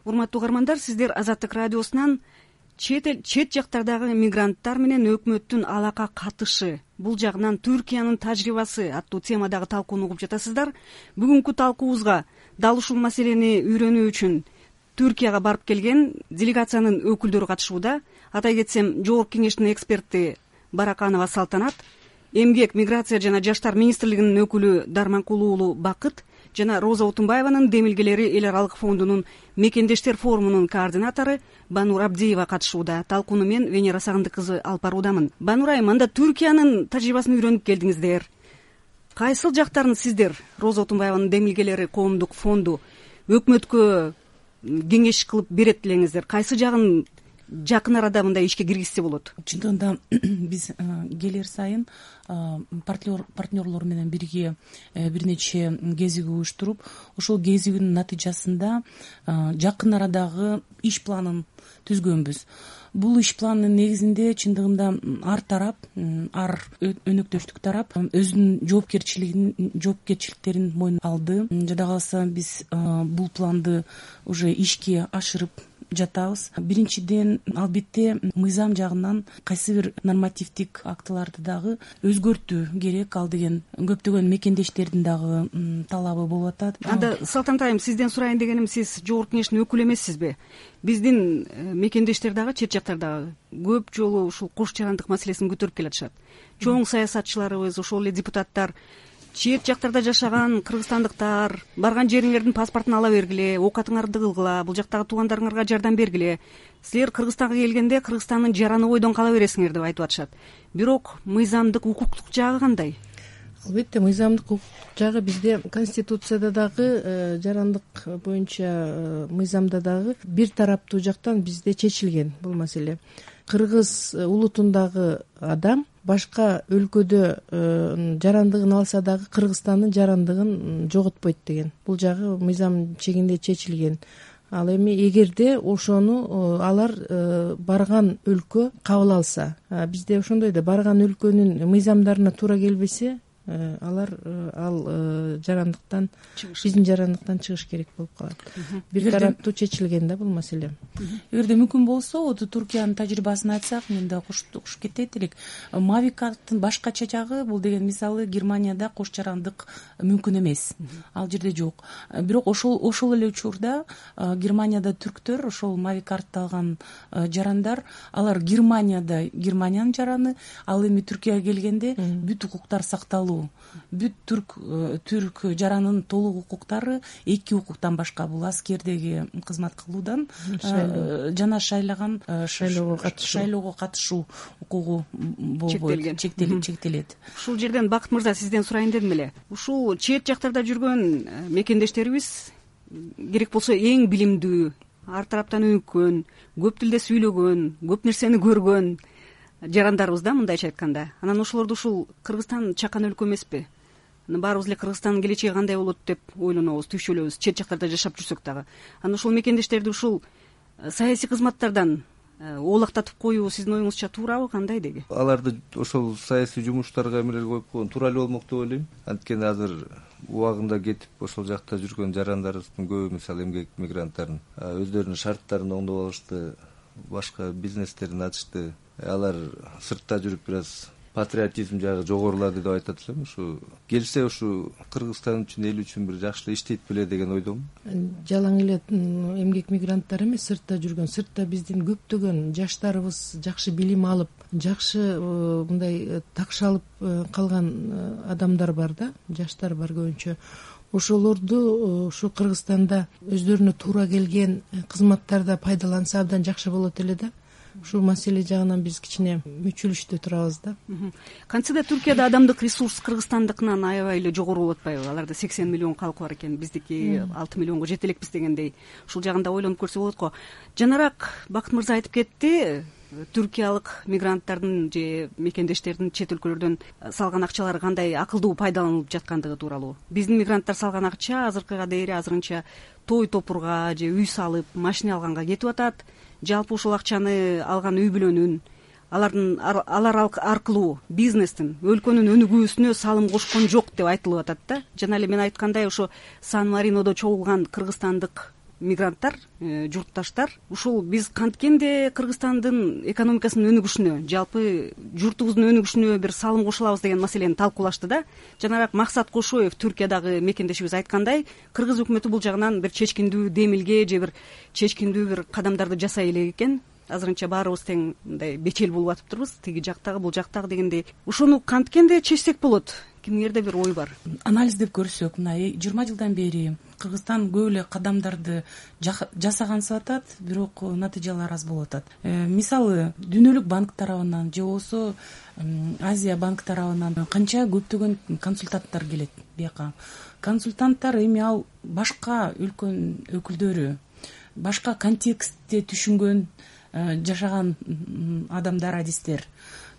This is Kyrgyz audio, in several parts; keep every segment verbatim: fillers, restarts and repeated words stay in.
Урматтуу угармандар, сиздер Азаттык радиосунан чет эл чет жактардагы мигранттар менен өкмөттүн алака катышы, бул жагынан Түркиянын тажрыйбасы аттуу темадагы талкууну угуп жатасыздар. Бүгүнкү талкуубузга дал ушул маселени үйрөнүү үчүн Түркияга барып келген делегациянын өкүлдөрү катышууда. Атай кетсем, Жогорку кеңештин эксперти Бараканова Салтанат, Эмгек, миграция жана жаштар министрлигинин өкүлү Дарманкул уулу Бакыт жана Роза Утунбаеванын демилгелери эл аралык фондунун мекендештер форумунун координатору Банур Абдиева катышууда. Талкууну мен Венера Сагындык кызы алып баруудамын. Банур айым, анда Түркиянын тажрыйбасын үйрөнүп келдиңиздер. Кайсыл жактарын сиздер, Роза Утунбаеванын демилгелери коомдук фонду, өкмөткө кеңеш кылып берет элеңиздер? Кайсы жагын жакын арада мындай ишке киргизсе болот? Чындыгында биз келер сайын партнерлор менен бирге бир нече кезиг уюштуруп, ошол кезигинин натыйжасында жакын арадагы иш планын түзгөнбүз. Бул иш планынын негизинде чындыгында ар тарап, ар өнөктөштүк тарап өзүнүн жоопкерчилигин, жоопкерчиликтерин мойнуна алды. Жада калса биз бул планды уже ишке ашырып жатабыз. Биринчиден, албетте, мыйзам жагынан кайсы бир нормативдик актыларды дагы өзгөртүү керек. Ал деген көптөгөн мекендештердин дагы талабы болуп атат. Анда Салтанат айым, сизден сурайын дегеним, сиз Жогорку кеңештин өкүлү эмессизби? Биздин мекендештер дагы, чет жактардагы көп жолу ушул кош жарандык маселесин көтөрүп келатышат. Чоң саясатчыларыбыз, ошол эле депутаттар чет жактарда жашаган кыргызстандыктар, барган жериңердин паспортун ала бергиле, оокатыңарды кылгыла, бул жактагы туугандарыңарга жардам бергиле. Силер Кыргызстанга келгенде Кыргызстандын жараны бойдон кала бересиңер деп айтып атышат. Бирок мыйзамдык, укуктук жагы кандай? Албетте, мыйзамдык укуктук жагы бизде Конституцияда дагы, жарандык боюнча мыйзамда дагы бир тараптуу жактан бизде чечилген бул маселе. Кыргыз улутундагы адам башка өлкөдө жарандыгын алса дагы Кыргызстандын жарандыгын жоготпойт деген. Бул жагы мыйзам чегинде чечилген. Ал эми эгерде ошону алар барган өлкө кабыл алса, бизде ошондой да, барган өлкөнүн мыйзамдарына туура келбесе, алар ал жарандыктан, биздин жарандыктан чыгыш керек болуп калат. Бир тараптуу чечилген да бул маселе. Эгерде мүмкүн болсо, Түркиянын тажрыйбасын айтсак, мен да кошуп кетет элек. Мави карттын башкача жагы, бул деген мисалы Германияда кош жарандык мүмкүн эмес. Ал жерде жок. Бирок ошол ошол эле учурда Германияда түрктөр, ошол мави картты алган жарандар, алар Германияда Германиянын жараны, ал эми Түркияга келгенде бүт укуктар сакталуу. Бүт түрк түрк жаранынын толук укуктары эки укуктан башка, бул аскердеги кызмат кылуудан жана шайлаган шайлоого катышуу укугу болбойт, чектелет. Ушул жерден Бакыт мырза, сизден сурайын дедим эле. Ушул чет жактарда жүргөн мекендештерибиз керек болсо эң билимдүү, ар тараптан өнүккөн, көп тилде сүйлөгөн, көп нерсени көргөн жарандарыбыз да, мындайча айтканда. Анан ошолорду ушул Кыргызстан чакан өлкө эмеспи? Баарыбыз эле Кыргызстандын келечеги кандай болот деп ойлонобуз, түйшөлөбүз, чет жактарда жашап жүрсөк дагы. Анан ушул мекендештерди ушул саясий кызматтардан оолактатып коюу сиздин оюңузча туурабы, кандай деги? Аларды ошол саясий жумуштарга эмерелге коюп койгон туура эле болмок деп ойлойм. Анткени азыр убагында кетип ошол жакта жүргөн жарандарыбыздын көбү, мисалы эмгек мигранттарын, өздөрүнүн шарттарын оңдоп алышты, башка бизнестерин ачышты. Алар сыртта жүрүп бир аз патриотизм жагы жогорулады деп айтат элем. Ушу келсе ушу Кыргызстан үчүн, эл үчүн бир жакшы иштейт беле деген ойдомун. Жалаң эле эмгек мигранттар эмес, сыртта жүргөн, сыртта биздин көптөгөн жаштарыбыз жакшы билим алып, жакшы мындай такшалып калган адамдар бар да, жаштар бар көбүнчө. Ошолорду ушу Кыргызстанда өздөрүнө туура келген кызматтарда пайдаланса абдан жакшы болот эле да. Ушул маселе жагынан биз кичине мүчүлүштө турабыз да. Кантсе да Түркияда адамдык ресурс Кыргызстандыкынан аябай эле жогору болуп атпайбы? Аларда сексен миллион калкы бар экен, биздики алты миллионго жете элекпиз дегендей. Ушул жагында ойлонуп көрсө болот го. Жанараак Бакыт мырза айтып кетти, түркиялык мигранттардын же мекендештердин чет өлкөлөрдөн салган акчалары кандай акылдуу пайдаланылып жаткандыгы тууралуу. Биздин мигранттар салган акча азыркыга дейин азырынча той топурга же үй салып, машина алганга кетип атат. Жалпы ушул акчаны алган үй бүлөнүн, алардын алар аркылуу бизнестин, өлкөнүн өнүгүүсүнө салым кошкон жок деп айтылып атат да. Жана эле мен айткандай, ошо Сан-Маринодо чогулган кыргызстандык мигранттар, журтташтар ушул биз канткенде Кыргызстандын экономикасынын өнүгүшүнө, жалпы журтубуздун өнүгүшүнө бир салым кошулабыз деген маселени талкуулашты да. Жанагы Максат Кошоев, Түркиядагы мекендешибиз айткандай, кыргыз өкмөтү бул жагынан бир чечкиндүү демилге же бир чечкиндүү бир кадамдарды жасай элек экен. Азырынча баарыбыз тең мындай бечел болуп атыптырбыз, тиги жактагы бул жактагы дегендей. Ошону канткенде чечсек болот. Кимдерде бир ой бар? Анализдеп көрсөк, мына жыйырма жылдан бери Кыргызстан көп эле кадамдарды жасагансып атат, бирок натыйжалар аз болуп атат. Мисалы, Дүйнөлүк банк тарабынан же болбосо Азия банк тарабынан канча көптөгөн консультанттар келет бияка. Консультанттар эми ал башка өлкөнүн өкүлдөрү, башка контекстте түшүнгөн жашаган адамдар, адистер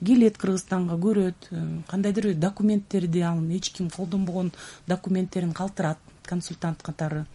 келет Кыргызстанга, көрөт, кандайдыр документтерди, анын эч ким колдонбогон документтерин калтырат консультант катары.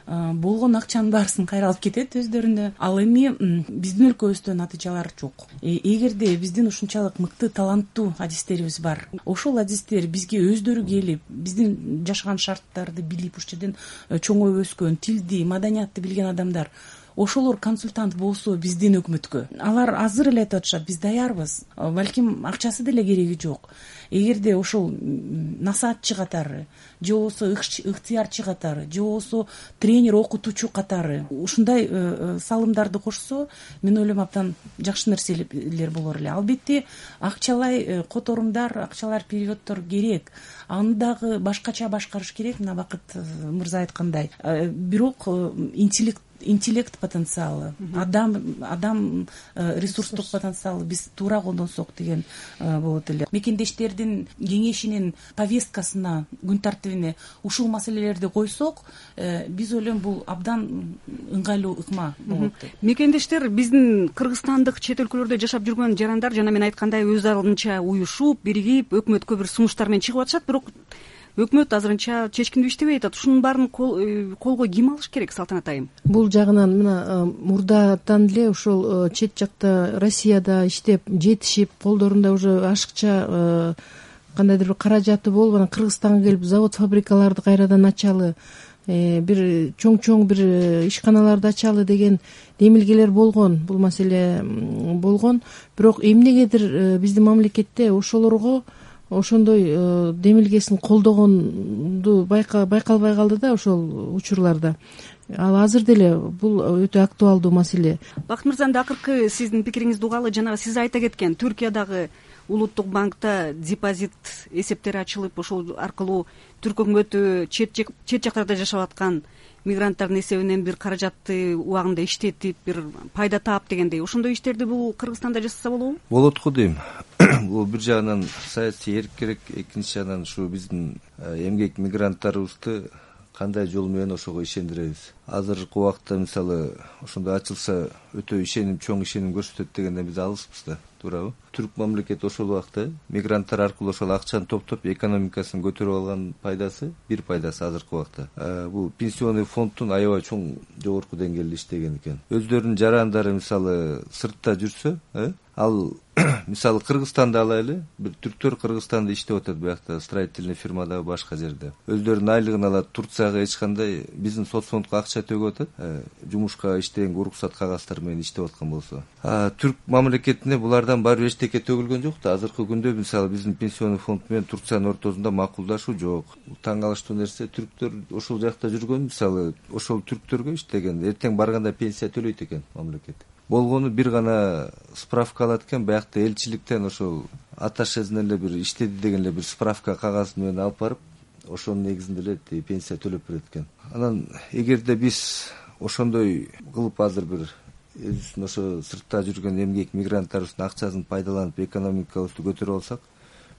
Болгон акчанын баарысын кайра алып кетет өздөрүнө. Ал эми биздин өлкөбүздө натыйжалар жок. Эгерде биздин ушунчалык мыкты, таланттуу адистерибиз бар, ошол адистер бизге өздөрү келип, биздин жашаган шарттарды билип, ушул жерден чоңоюп өскөн, тилди, маданиятты билген адамдар, ошолор консультант болсо биздин өкмөткө, алар азыр эле айтып атышат, биз даярбыз, балким акчасы деле кереги жок. Эгерде ошол насаатчы катары, же болбосо ыктыярчы катары, же болбосо тренер, окутуучу катары ушундай салымдарды кошсо, мен ойлойм абдан жакшы нерселер болор эле. Албетте акчалай которумдар, акчалар переводдор керек. Аны дагы башкача башкарыш керек, мына Бакыт мырза айткандай. Бирок интеллект интеллект потенциалы, адам адам ресурстук потенциалы биз туура колдонсок деген болот эле. Мекендештердин кеңешинин повесткасына, күн тартибине ушул маселелерди койсок, биз ойлойм бул абдан ыңгайлуу ыкма болот деп. Мекендештер биздин кыргызстандык чет өлкөлөрдө жашап жүргөн жарандар жана мен айткандай өз алдынча уюшуп, биригип, өкмөткө бир сунуштар менен чыгып атышат, бирок өкмөт азырынча чечкиндүү иштебей атат. Ушунун баарын колго ким алыш керек, Салтанат айым? Бул жагынан мына мурдадан эле ошол чет жакта Россияда иштеп, жетишип, колдорунда уже ашыкча кандайдыр бир каражаты болуп, анан Кыргызстанга келип завод, фабрикаларды кайрадан ачалы, бир чоң-чоң бир ишканаларды ачалы деген демилгелер болгон. Бул маселе болгон. Бирок эмнегедир биздин мамлекетте ошолорго ошондой демилгесин колдогонду байкалбай калды да ошол учурларда. Ал азыр деле бул өтө актуалдуу маселе. Бакыт мырза, акыркы сиздин пикириңизди угалы, жанагы сиз айта кеткен Түркиядагы улуттук банкта депозит эсептери ачылып, ошол аркылуу түрк өкмөтү чет жактарда жашап аткан мигранттардын эсебинен бир каражатты убагында иштетип, бир пайда таап дегендей, ошондой иштерди бул Кыргызстанда жасаса болобу? Болот го дейм. Бул бир жагынан саясий эрк керек, экинчи жагынан ушу биздин эмгек мигранттарыбызды кандай жол менен ошого ишендиребиз. Азыркы убакта мисалы ошондой ачылса өтө ишеним, чоң ишеним көрсөтөт дегенден биз алыспыз да, туурабы? Түрк мамлекети ошол убакта мигранттар аркылуу ошол акчаны топтоп экономикасын көтөрүп алган пайдасы, бир пайдасы азыркы убакта бул пенсионный фонддун аябай чоң, жогорку деңгээлде иштеген экен. Өздөрүнүн жарандары мисалы сыртта жүрсө, ал мисалы Кыргызстанды алайлы, бир түрктөр Кыргызстанда иштеп атат, биякта строительный фирмада, башка жерде. Өздөрүнүн айлыгын алат, Турцияга эч кандай биздин соцфондко акча төгүп атат, жумушка иштеген уруксат кагаздары менен иштеп аткан болсо. Түрк мамлекетине булардан барып эчтеке төгүлгөн жок да. Азыркы күндө мисалы биздин пенсионный фонд менен Турциянын ортосунда макулдашуу жок. Таң калыштуу нерсе, түрктөр ошол жакта жүргөн, мисалы ошол түрктөргө иштеген, эртең барганда пенсия төлөйт экен мамлекет. Болгону бир гана справка алат экен, биякта элчиликтен ошол аташезинен эле бир иштеди деген эле бир справка кагаз менен алып барып, ошонун негизинде эле пенсия төлөп берет экен. Анан эгерде биз ошондой кылып азыр бир өзүбүздүн ошо сыртта жүргөн эмгек мигранттарыбыздын акчасын пайдаланып экономикабызды көтөрүп алсак,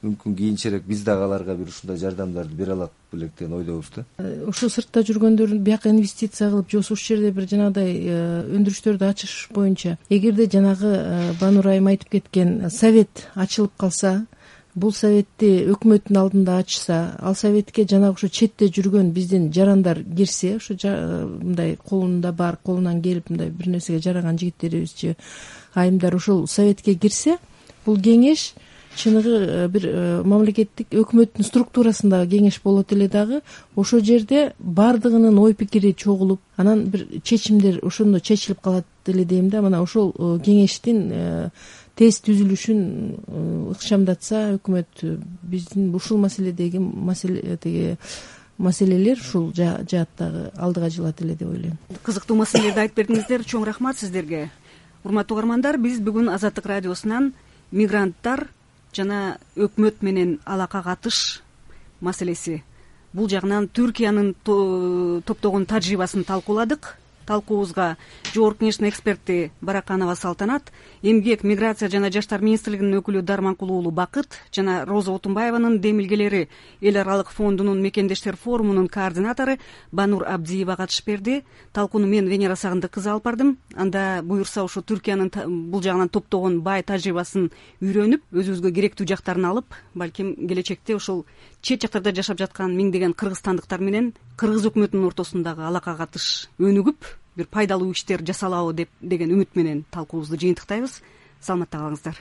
мүмкүн кийинчерээк биз дагы аларга бир ушундай жардамдарды бере алак белек деген ойдобуз да. Ошо сыртта жүргөндөрдүн бияка инвестиция кылып, же ушул жерде бир жанагыдай өндүрүштөрдү ачыш боюнча, эгерде жанагы Банур айым айтып кеткен совет ачылып калса, бул советти өкмөттүн алдында ачса, ал советке жанагы ошо четте жүргөн биздин жарандар кирсе, ошо мындай колунда бар, колунан келип мындай бир нерсеге жараган жигиттерибиз же айымдар ошол советке кирсе, бул кеңеш чыныгы бир мамлекеттик өкмөттүн структурасында кеңеш болот эле дагы ошол жерде баардыгынын ой пикири чогулуп анан бир чечимдер ошондо чечилип калат эле дейм да. Мына ошол кеңештин тез түзүлүшүн ыкчамдатса өкмөт биздин ушул маселедеги маселе тиги маселелер ушул жааттагы алдыга жылат эле деп ойлойм. Кызыктуу маселелерди айтып бердиңиздер. Чоң рахмат сиздерге. Урматтуу угармандар, биз бүгүн Азаттык радиосунан мигранттар жана өкмөт менен алака катыш маселеси, бул жагынан Түркиянын топтогон тажрыйбасын талкууладык. Талкуубузга Жогорку кеңештин эксперти Бараканова Салтанат, эмгек, миграция жана жаштар министрлигинин өкүлү Дарманкул уулу Бакыт жана Роза Отунбаеванын демилгелери Эл аралык фондунун мекендештер форумунун координатору Банур Абдиева катышып берди. Талкууну мен Венера Сагындык кызы алып бардым. Анда буюрса ушу Түркиянын бул жагынан топтогон бай тажрыйбасын үйрөнүп, өзүбүзгө керектүү жактарын алып, балким келечекте ушул чет жактарда жашап жаткан миңдеген кыргызстандыктар менен кыргыз өкмөтүнүн ортосундагы алака катыш өнүгүп, бир пайдалуу иштер жасалабы деп деген үмүт менен талкуубузду жыйынтыктайбыз. Саламатта калыңыздар.